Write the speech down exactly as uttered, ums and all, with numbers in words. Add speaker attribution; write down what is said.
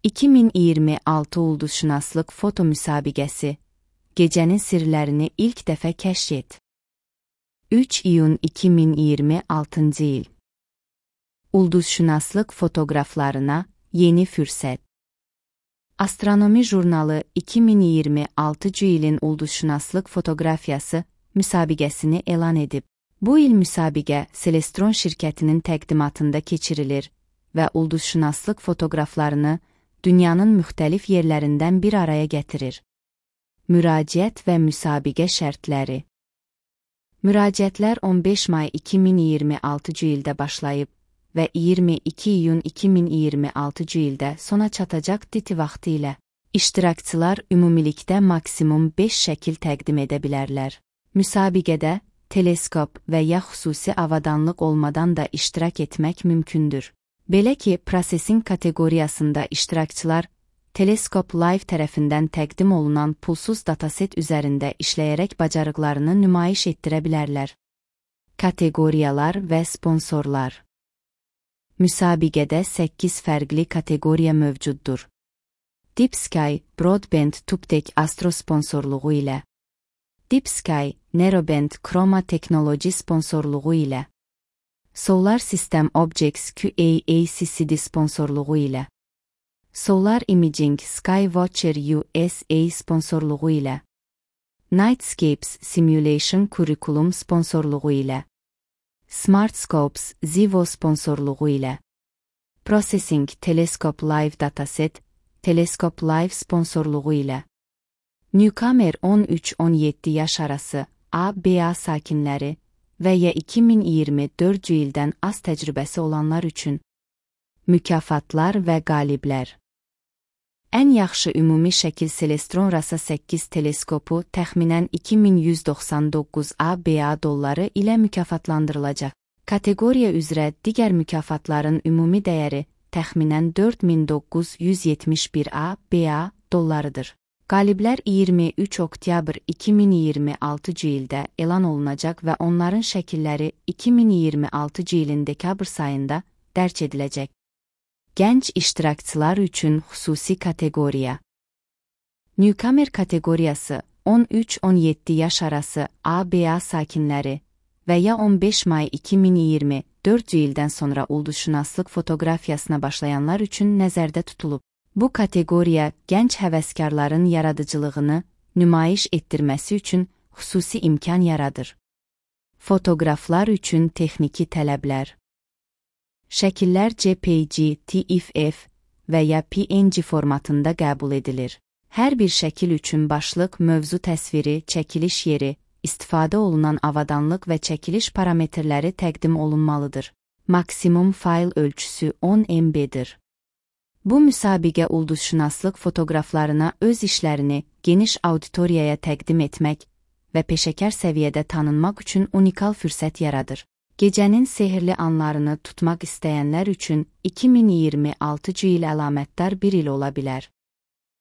Speaker 1: iki min iyirmi altı Ulduzşünaslıq foto müsabiqəsi. Gecənin sirlərini ilk dəfə kəşf et. üç iyun iki min iyirmi altıncı il. Ulduzşünaslıq fotoqraflarına yeni fürsət. Astronomi jurnalı iki min iyirmi altıncı ilin ulduzşünaslıq fotoqrafiyası müsabiqəsini elan edib. Bu il müsabiqə Celestron şirkətinin təqdimatında keçirilir və ulduzşünaslıq fotoqraflarını dünyanın müxtəlif yerlərindən bir araya gətirir. Müraciət və müsabiqə şərtləri. Müraciətlər on beş may iki min iyirmi altıncı ildə başlayıb və iyirmi iki iyun iki min iyirmi altıncı ildə sona çatacaq diti vaxtı ilə. İştirakçılar ümumilikdə maksimum beş şəkil təqdim edə bilərlər. Müsabiqədə teleskop və ya xüsusi avadanlıq olmadan da iştirak etmək mümkündür. Belə ki, prosesin kateqoriyasında iştirakçılar Teleskop Live tərəfindən təqdim olunan pulsuz dataset üzərində işləyərək bacarıqlarını nümayiş etdirə bilərlər. Kateqoriyalar və sponsorlar. Müsabiqədə səkkiz fərqli kateqoriya mövcuddur. Deep Sky, Broadband Tubtek Astro sponsorluğu ilə. Deep Sky, Narrowband Chroma Technology sponsorluğu ilə. Solar System Objects Q A A C C D sponsorluğu ilə. Solar Imaging Skywatcher U S A sponsorluğu ilə. Nightscapes Simulation Curriculum sponsorluğu ilə. SmartScopes Zivo sponsorluğu ilə. Processing Telescope Live Dataset, Telescope Live sponsorluğu ilə. Newcomer on üç on yeddi yaş arası A B A sakinləri və ya iki min iyirmi dördüncü ildən az təcrübəsi olanlar üçün. Mükafatlar və qaliblər. Ən yaxşı ümumi şəkil Celestron Rasa səkkiz teleskopu təxminən iki min yüz doxsan doqquz A B A dolları ilə mükafatlandırılacaq. Kateqoriya üzrə digər mükafatların ümumi dəyəri təxminən dörd min doqquz yüz yetmiş bir A B A dollarıdır. Qaliblər iyirmi üç oktyabr iki min iyirmi altıncı ildə elan olunacaq və onların şəkilləri iki min iyirmi altıncı ilin dekabr sayında dərc ediləcək. Gənc iştirakçılar üçün xüsusi kateqoriya. Newcomer kateqoriyası on üç on yeddi yaş arası A B A sakinləri və ya on beş may iki min iyirmi dördüncü ildən sonra ulduzşünaslıq fotoqrafiyasına başlayanlar üçün nəzərdə tutulub. Bu kateqoriya gənc həvəskarların yaradıcılığını nümayiş etdirməsi üçün xüsusi imkan yaradır. Fotoqraflar üçün texniki tələblər. Şəkillər J P G, T F F və ya P N G formatında qəbul edilir. Hər bir şəkil üçün başlıq, mövzu təsviri, çəkiliş yeri, istifadə olunan avadanlıq və çəkiliş parametrləri təqdim olunmalıdır. Maksimum fayl ölçüsü on M B-dir. Bu müsabiqə ulduzşünaslıq fotoqraflarına öz işlərini geniş auditoriyaya təqdim etmək və peşəkar səviyyədə tanınmaq üçün unikal fürsət yaradır. Gecənin sehirli anlarını tutmaq istəyənlər üçün iki min iyirmi altıncı il əlamətdar bir il ola bilər.